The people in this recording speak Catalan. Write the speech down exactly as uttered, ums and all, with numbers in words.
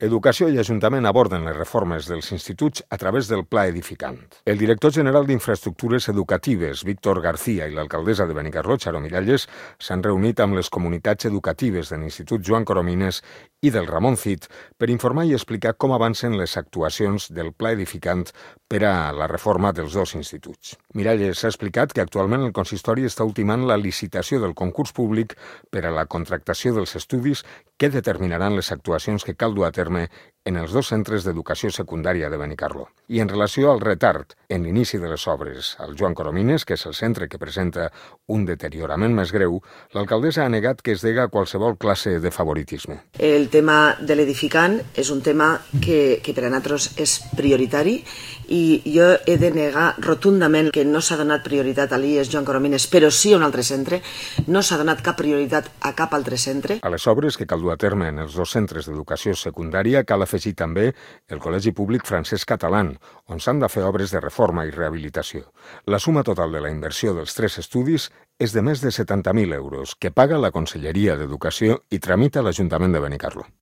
Educació i Ajuntament aborden les reformes dels instituts a través del Pla Edificant. El director general d'Infraestructures Educatives, Víctor García, i l'alcaldessa de Benicarló, Charo Miralles, s'han reunit amb les comunitats educatives de l'Institut Joan Coromines i del Ramon Cid per informar i explicar com avancen les actuacions del Pla Edificant per a la reforma dels dos instituts. Miralles ha explicat que actualment el consistori està ultimant la licitació del concurs públic per a la contractació dels estudis que determinaran les actuacions que cal dur a terme en els dos centres d'educació secundària de Benicarló. I en relació al retard en l'inici de les obres al Joan Coromines, que és el centre que presenta un deteriorament més greu, l'alcaldessa ha negat que es dega a qualsevol classe de favoritisme. El tema de l'edificant és un tema que, que per a nosaltres és prioritari i jo he de negar rotundament que no s'ha donat prioritat a l'I E S Joan Coromines, però sí a un altre centre. No s'ha donat cap prioritat a cap altre centre. A les obres que cal dur a terme en els dos centres d'educació secundària cal afegir també el Col·legi Públic Francesc Catalán, on s'han de fer obres de reforma i rehabilitació. La suma total de la inversió dels tres estudis és de més de setanta mil euros, que paga la Conselleria d'Educació i tramita l'Ajuntament de Benicarló.